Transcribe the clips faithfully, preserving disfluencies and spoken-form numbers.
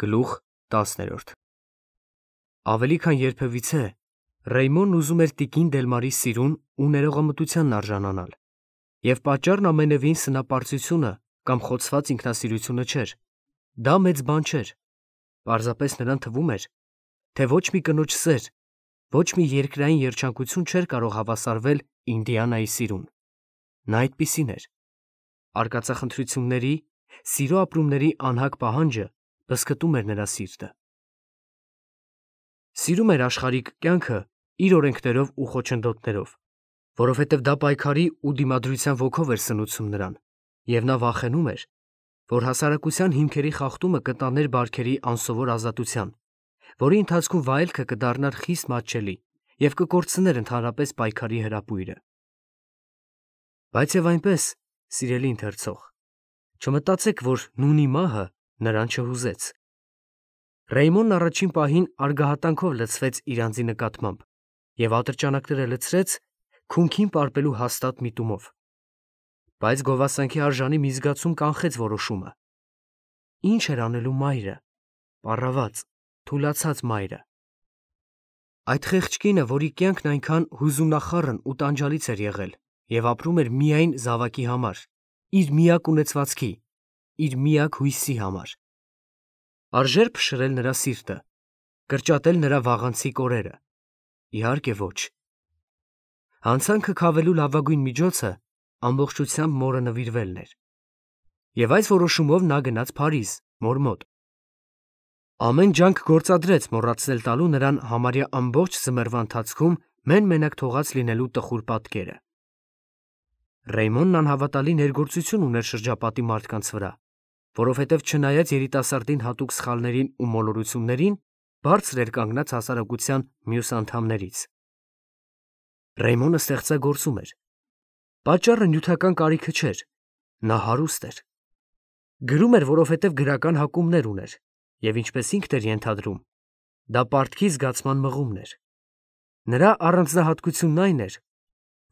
Գլուխ տասներորդ Ավելի քան երբևիցե Ռեյմոնն ուզում էր տիկին Դելմարի սիրուն ու ներողամտությանն արժանանալ, և պատճառն ամենևին սնապարծությունը կամ խոցված ինքնասիրությունը չէր, դա մեծ բան չէր, պարզապես նրան թվում էր, թե ոչ մի կնոջ սեր, ոչ մի երկրային երջանկություն չէր կարող հավասարվել Ինդիանայի սիրուն, նա այդպիսին էր, արկածախնդրությունների, սիրո ապրումների անհագ պահանջը բզկտում էր նրա սիրտը։ Սիրում էր աշխարհիկ կյանքը իր օրենքներով ու խոչընդոտներով, որովհետև դա պայքարի ու դիմադրության ոգով էր սնուցում նրան, և նա վախենում էր, որ հասարակության հիմքերի խախտումը կտաներ բարքերի անսովոր ազատության, որի ընթացքում վայելքը կդառնար խիստ մատչելի և կկորցներ ընդհանրապես պայքարի հրապույրը։ Բայց և այնպես, սիրելի ընթերցող, չմտածեք, որ նույնի մահը նրան չհուզեց։ Ռեյմոնն առաջին պահին արգահատանքով լցվեց իր անձի նկատմամբ և ատրճանակները լցրեց քունքին պարպելու հաստատ միտումով։ Բայց գովասանքի արժանի մի զգացում կանխեց որոշումը։ Ինչ էր անելու մայրը, պառաված, թուլացած մայրը։ Այդ խեղճ կինը, որի կյանքն այնքան հուզումնախառն ու տանջալից էր եղել և ապրում էր միայն զավակի համար, իր միակ ունեցվածքի, իր միակ հույսի համար։ Արժե՞ր փշրել նրա սիրտը, կրճատել նրա վաղանցիկ օրերը։ Իհարկե ոչ։ Հանցանքը քավելու լավագույն միջոցը ամբողջությամբ մորը նվիրվելն էր։ Եվ այս որոշումով նա գնաց Փարիզ, մոր մոտ։ Ամեն ջանք գործադրեց մոռացնել տալու նրան համարյա ամբողջ ձմեռվա ընթացքում մեն֊մենակ թողած լինելու տխուր պատկերը։ Ռեյմոնն անհավատալի ներգործություն ուներ շրջապատի մարդկանց վրա, որովհետև չնայած երիտասարդին հատուկ սխալներին ու մոլորություններին, բարձր էր կանգնած հասարակության մյուս անդամներից։ Ռեյմոնը ստեղծագործում էր։ Պատճառը նյութական կարիքը չէր, նա հարուստ էր։ Գրում էր, որովհետև գրական հակումներ ուներ, և ինչպես ինքն էր ենթադրում, դա պարտքի զգացման մղումն էր։ Նրա առանձնահատկությունն այն էր,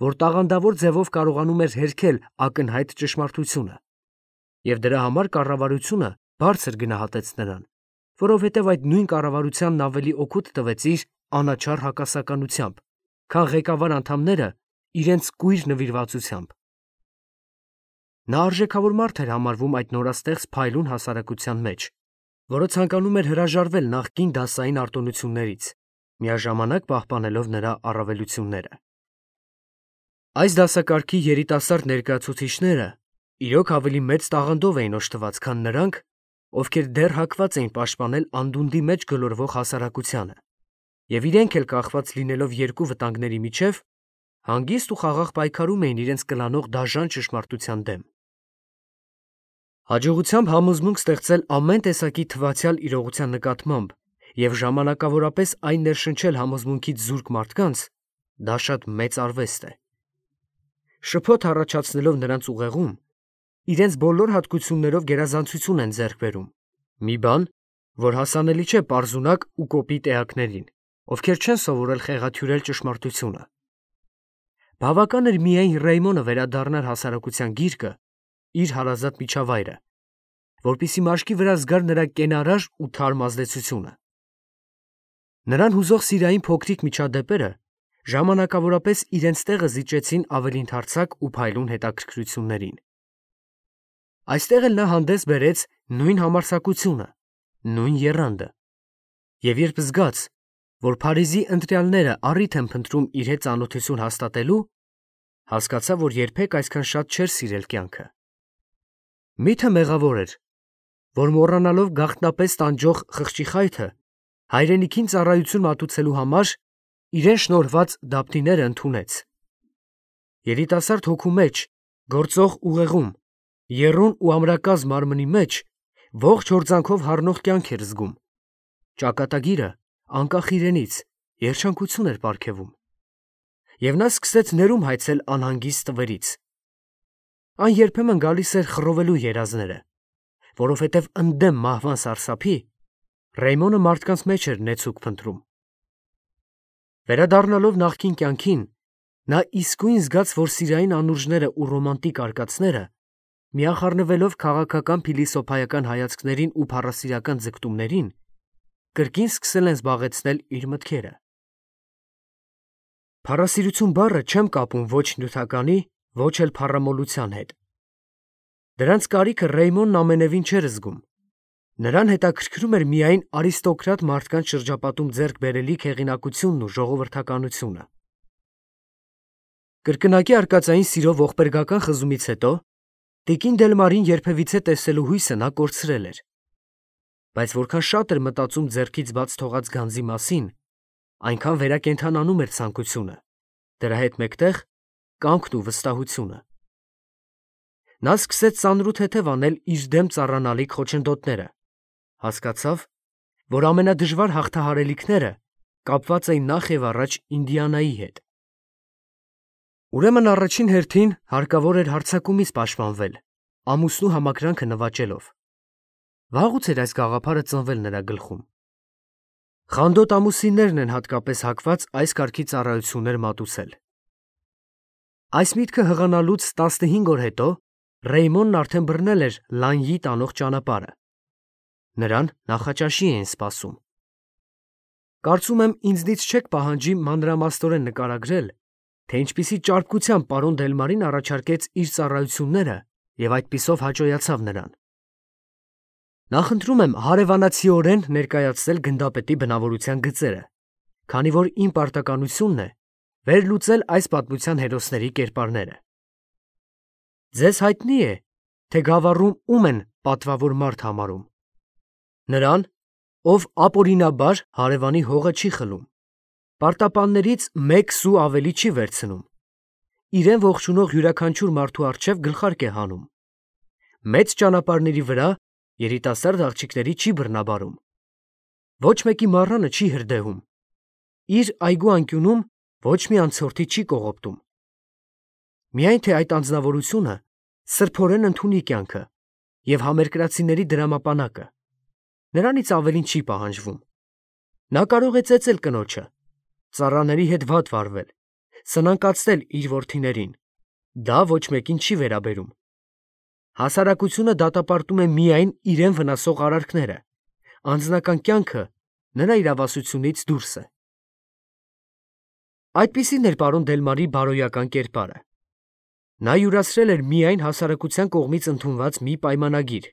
որ տաղանդավոր ձևով կարողանում էր հերքել ակնհայտ ճշմարտությունը, և դրա համար կառավարությունը բարձր գնահատեց նրան, որովհետև այդ նույն կառավարությանն ավելի օգուտ տվեց իր անաչառ հակասականությամբ, քան ղեկավար անդամները իրենց կույր նվիրվածությամբ։ Նա արժեքավոր մարդ էր համարվում այդ նորաստեղծ փայլուն հասարակության մեջ, որը ցանկանում էր հրաժարվել նախկին դասային արտոնություններից, միաժամանակ պահպանելով նրա առավելությունները։ Այս դասակարգի երիտասարդ ներկայացուցիչները իրոք ավելի մեծ տաղանդով էին օժտված, քան նրանք, ովքեր դեռ հակված էին պաշտպանել անդունդի մեջ գլորվող հասարակությանը, և իրենք էլ կախված լինելով երկու վտանգների միջև, հանգիստ ու խաղաղ պայքարում էին իրենց կլանող դաժան ճշմարտության դեմ։ Հաջողությամբ համոզմունք ստեղծել ամեն տեսակի թվացյալ իրողության նկատմամբ և ժամանակավորապես այն ներշնչել համոզմունքից զուրկ մարդկանց, դա շատ մեծ արվեստ է։ Շփոթ առաջացնելով նրանց ուղեղում, իրենց բոլոր հատկություններով գերազանցություն են ձեռք բերում, մի բան, որ հասանելի չէ պարզունակ ու կոպիտ էակներին, ովքեր չեն սովորել խեղաթյուրել ճշմարտությունը։ Բավական էր միայն Ռեյմոնը վերադառնար հասարակության գիրկը, իր հարազատ միջավայրը, որպեսզի մաշկի վրա զգար նրա կենարար ու թարմ ազդեցությունը։ Նրան հուզող սիրային փոքրիկ միջադեպերը ժամանակավորապես իրենց տեղը զիջեցին ավելի ընդարձակ ու փայլուն հետաքրքրություններին։ Այստեղ էլ նա հանդես բերեց նույն համարձակությունը, նույն եռանդը, և երբ զգաց, որ Փարիզի ընտրյալները առիթ են փնտրում իր հետ ծանոթություն հաստատելու, հասկացավ, որ երբեք այսքան շատ չէր սիրել կյանքը։ Միթե մեղավոր էր, որ մոռանալով գաղտնապես տանջող խղճի խայթը, հայրենիքին ծառայություն մատուցելու համար իրեն շնորհված դափնիները ընդունեց։ Երիտասարդ հոգու մեջ, գործող ուղեղում, եռուն ու ամրակազմ մարմնի մեջ ողջ հորձանքով հառնող կյանք էր զգում։ Ճակատագիրը, անկախ իրենից, երջանկություն էր պարգևում։ Եվ նա սկսեց ներում հայցել անհանգիստ տվերից։ Այն երբեմն գալիս էր խռովելու երազները, որովհետև ընդդեմ մահվան սարսափի Ռեյմոնը մարդկանց մեջ էր նեցուկ փնտրում։ Վերադառնալով նախկին կյանքին, նա իսկույն զգաց, որ սիրային անուրջները ու ռոմանտիկ արկածները միախառնվելով քաղաքական փիլիսոփայական հայացքներին ու փառասիրական ձգտումներին, կրկին սկսել են զբաղեցնել իր մտքերը։ Փառասիրություն բառը չեմ կապում ոչ նյութականի, ոչ էլ փառամոլության հետ։ Դրանց կարիքը Ռեյմոնն ամենևին չէր զգում։ Նրան հետաքրքրում էր միայն արիստոկրատ մարդկանց շրջապատում ձեռք բերելիք հեղինակությունն ու ժողովրդականությունը։ Կրկնակի արկածային սիրով ողբերգական խզումից հետո տիկին Դելմարին երբևիցե տեսելու հույսը նա կորցրել էր։ Բայց որքան շատ էր մտածում ձեռքից բաց թողած գանձի մասին, այնքան վերակենդանանում էր ցանկությունը, դրա հետ մեկտեղ կամքն ու վստահությունը։ Նա սկսեց ծանրութեթև անել իր դեմ ծառանալիք խոչընդոտները, հասկացավ, որ ամենադժվար հաղթահարելիքները կապված էին նախ եւ առաջ Ինդիանայի հետ։ Ուրեմն առաջին հերթին հարկավոր էր հարձակումից պաշտպանվել, ամուսնու համակրանքը նվաճելով։ Վաղուց էր այս գաղափարը ծնվել նրա գլխում։ Խանդոտ ամուսիններն են հատկապես հակված այս կարգի ծառայություններ մատուցել։ Այս միտքը հղանալուց տասնհինգ օր հետո Ռեյմոնն արդեն բռնել էր Լանյի տանող ճանապարհը։ Նրան նախաճաշի էին սպասում։ Կարծում եմ, ինձնից չեք պահանջի մանրամասնորեն նկարագրել, թե ինչպիսի ճարպկությամբ պարոն Դելմարին առաջարկեց իր ծառայությունները և այդպիսով հաճոյացավ նրան։ Նախընտրում եմ հարևանացիորեն ներկայացնել գնդապետի բնավորության գծերը, քանի որ իմ պարտականությունն է վերլուծել այս պատմության հերոսների կերպարները։ Ձեզ հայտնի է, թե գավառում ում են պատվավոր մարդ համարում։ Նրան, ով ապօրինաբար հարևանի հողը չի խլում, պարտապաններից մեկ սու ավելի չի վերցնում, իրեն ողջունող յուրաքանչյուր մարդու առջև գլխարկ է հանում, մեծ ճանապարհների վրա երիտասարդ աղջիկների չի բռնաբարում, ոչ մեկի մառանը չի հրդեհում, իր այգու անկյունում ոչ մի անցորդի չի կողոպտում։ Միայն թե այդ անձնավորությունը սրբորեն ընդունի կյանքը և համերկրացիների դրամապանակը, նրանից ավելին չի պահանջվում։ Նա կարող է ծեծել կնոջը, ծառաների հետ վատ վարվել, սնանկացնել իր որդիներին, դա ոչ մեկին չի վերաբերում։ Հասարակությունը դատապարտում է միայն իրեն վնասող արարքները, անձնական կյանքը նրա իրավասությունից դուրս է։ Այդպիսին էր պարոն Դելմարի բարոյական կերպարը։ Նա յուրացրել էր միայն հասարակության կողմից ընդունված մի պայմանագիր.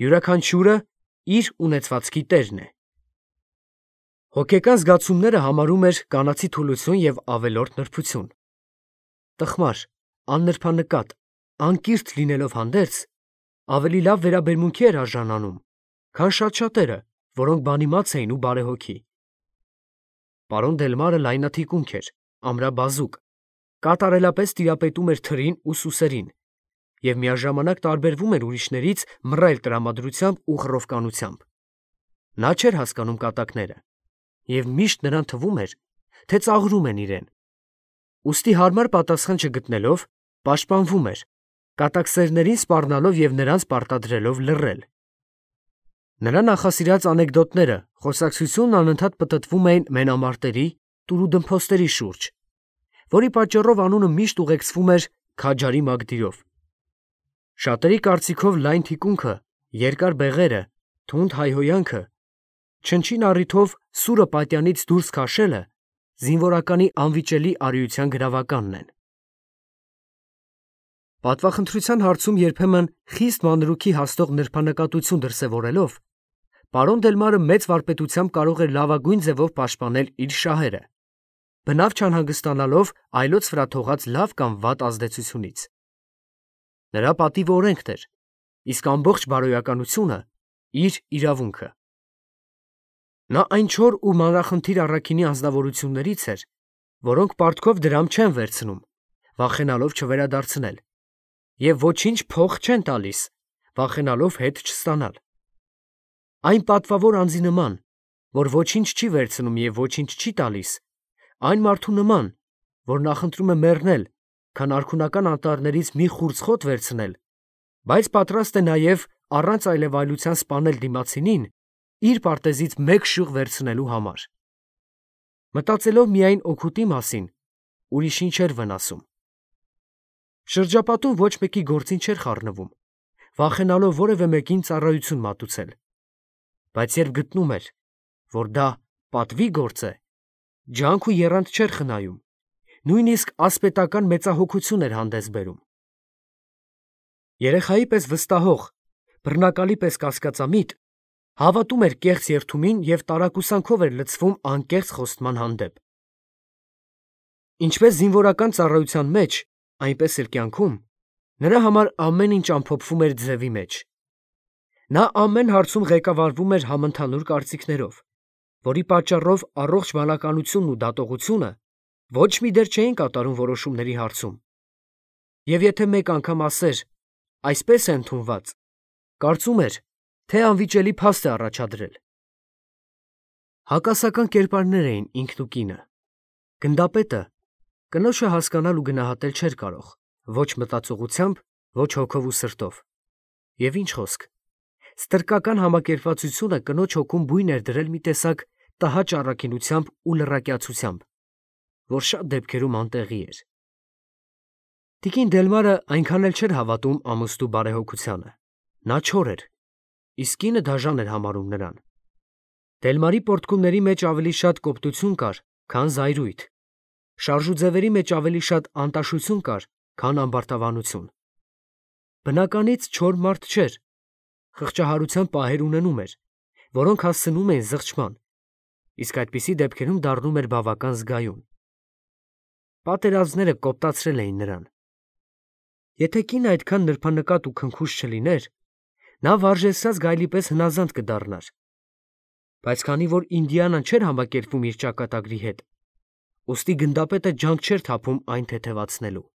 յուրաքանչյուրը իր ունեցվածքի տերն է։ Հոգեկան զգացումները համարում էր կանացի թուլություն և ավելորդ նրբություն։ Տխմար, աննրբանկատ, անկիրթ լինելով հանդերձ, ավելի լավ վերաբերմունքի էր արժանանում, քան շատ-շատերը, որոնք բանիմաց էին ու բարեհոգի։ Պարոն Դելմարը լայնաթիկունք էր, ամրաբազուկ, կատարելապես տիրապետում էր թրին ու սուսերին և միաժամանակ տարբերվում էր ուրիշներից մռայլ տրամադրությամբ ու խռովկանությամբ։ Նա չէր հասկանում կատակները և միշտ նրան թվում էր, թե ծաղրում են իրեն։ Ուստի հարմար պատասխան չգտնելով, պաշտպանվում էր, կատակսերներին սպառնալով և նրանց պարտադրելով լռել։ Նրա նախասիրած անեկդոտները, խոսակցությունն անընդհատ պտտվում էին մենամարտերի, տուրուդմփոստերի շուրջ, որի պատճառով անունը միշտ ուղեկցվում էր քաջարի մագդիրով։ Շատերի կարծիքով լայն թիկունքը, երկար բեղերը, թունդ հայհոյանքը, չնչին առիթով սուրը պատյանից դուրս քաշելը զինվորականի անվիճելի արիության գրավականն են։ Պատվախնդրության հարցում երբեմն խիստ մանրուքի հասնող նրբանկատություն դրսևորելով, պարոն Դելմարը մեծ վարպետությամբ կարող էր լավագույն ձևով պաշտպանել իր շահերը, բնավ չանհանգստանալով այլոց վրա թողած լավ կամ վատ ազդեցությունից։ Նրա պատիվը օրենքն էր, իսկ ամբողջ բարոյականությունը իր իրավունքը։ Նա այն չոր ու մանրախնդիր առաքինի անձնավորություններից էր, որոնք պարտքով դրամ չեն վերցնում, վախենալով չվերադարձնել, և ոչինչ փող չեն տալիս, վախենալով հետ չստանալ։ Այն պատվավոր անձի նման, որ ոչինչ չի վերցնում և ոչինչ չի տալիս, այն մարդու նման, որ նախընտրում է մեռնել, քան արքունական անտառներից մի խուրձ խոտ վերցնել, բայց պատրաստ է նաև առանց այլևայլության սպանել դիմացինին իր պարտեզից մեկ շյուղ վերցնելու համար։ Մտածելով միայն օգուտի մասին, ուրիշին չէր վնասում։ Շրջապատում ոչ մեկի գործին չէր խառնվում, վախենալով որևէ մեկին ծառայություն մատուցել, բայց երբ գտնում էր, որ դա պատվի գործ է, ջանք ու եռանդ չէր խնայում, նույնիսկ ասպետական մեծահոգություն էր հանդես բերում։ Երեխայի պես վստահող, բռնակալի պես կասկածամիտ, հավատում էր կեղծ երդումին և տարակուսանքով էր լցվում անկեղծ խոստման հանդեպ։ Ինչպես զինվորական ծառայության մեջ, այնպես էլ կյանքում, նրա համար ամեն ինչ ամփոփվում էր ձևի մեջ։ Նա ամեն հարցում ղեկավարվում էր համընդհանուր կարծիքներով, որի պատճառով առողջ բանականությունն ու դատողությունը ոչ մի դեր չէին կատարում որոշումների հարցում։ Եվ եթե մեկ անգամ ասեր «այսպես է ընդունված», կարծում էր, թե անվիճելի փաստ է առաջադրել։ Հակասական կերպարներ էին ինքն ու կինը։ Գնդապետը կնոջը հասկանալ ու գնահատել չէր կարող, ոչ մտածողությամբ, ոչ հոգով ու սրտով։ Եվ ինչ խոսք, ստրկական համակերպվածությունը կնոջ հոգում բույն էր դրել մի տեսակ տհաճ առաքինությամբ ու լռակյացությամբ, որ շատ դեպքերում անտեղի էր։ Տիկին Դելմարը այնքան էլ չէր հավատում ամուսնու բարեհոգությանը։ Նա չոր էր, իսկ կինը դաժան էր համարում նրան։ Դելմարի պոռթկումների մեջ ավելի շատ կոպտություն կար, քան զայրույթ, շարժուձևերի մեջ ավելի շատ անտաշություն կար, քան ամբարտավանություն։ Բնականից չոր մարդ չէր, խղճահարության պահեր ունենում էր, որոնք հասցնում էին զղջման, իսկ այդպիսի դեպքերում դառնում էր բավական զգայուն։ Պատերազմները կոպտացրել էին նրան։ Եթե կինը այդքան նրբանկատ ու քնքուշ չլիներ, նա վարժեցրած գայլի պես հնազանդ կդառնար, բայց քանի որ Ինդիանան չէր համակերպվում իր ճակատագրի հետ, ուստի գնդապետը ջանք չէր թափում այն թեթևացնելու։